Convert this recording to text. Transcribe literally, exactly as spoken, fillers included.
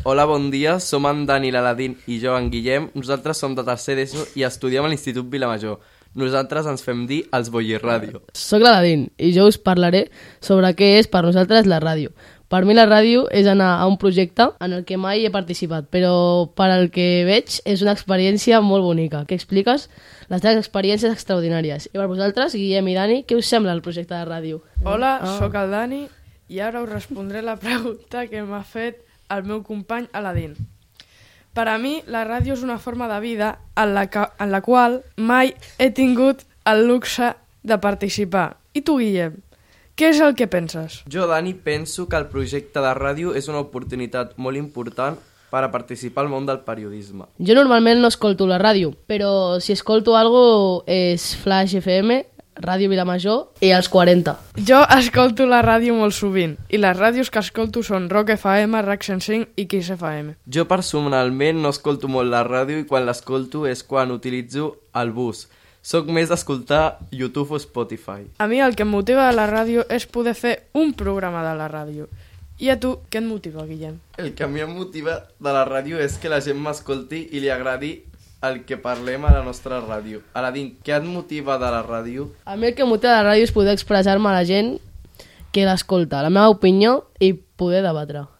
Hola, bon dia, som en Dani, l'Aladín i jo, en Guillem. Nosaltres som de tercer d'ESO i estudiem a l'Institut Vilamajor. Nosaltres ens fem dir els Bollirràdio. Soc l'Aladín i jo us parlaré sobre què és per nosaltres la ràdio. Per mi la ràdio és anar a un projecte en el que mai he participat, però per al que veig és una experiència molt bonica, que expliques les teves experiències extraordinàries. I per vosaltres, Guillem i Dani, què us sembla el projecte de ràdio? Hola, Ah. sóc el Dani i ara us respondré la pregunta que m'ha fet el meu company Aladín. Per a mi, la ràdio és una forma de vida en la, que, en la qual mai he tingut el luxe de participar. I tu, Guillem, què és el que penses? Jo, Dani, penso que el projecte de ràdio és una oportunitat molt important per a participar al món del periodisme. Jo normalment no escolto la ràdio, però si escolto algo és Flash F M, Ràdio Vilamajor i els quaranta. Jo escolto la ràdio molt sovint i les ràdios que escolto són Rock F M, R A C cent cinc i Kiss F M. Jo personalment no escolto molt la ràdio i quan l'escolto és quan utilitzo el bus. Soc més d'escoltar YouTube o Spotify. A mi el que em motiva de la ràdio és poder fer un programa de la ràdio. I a tu, què et motiva, Guillem? El que a mi em motiva de la ràdio és que la gent m'escolti i li agradi el que parlem a la nostra ràdio. Aladín, què et motiva de la ràdio? A mi el que em motiva de la ràdio és poder expressar-me a la gent que l'escolta, la meva opinió i poder debatre.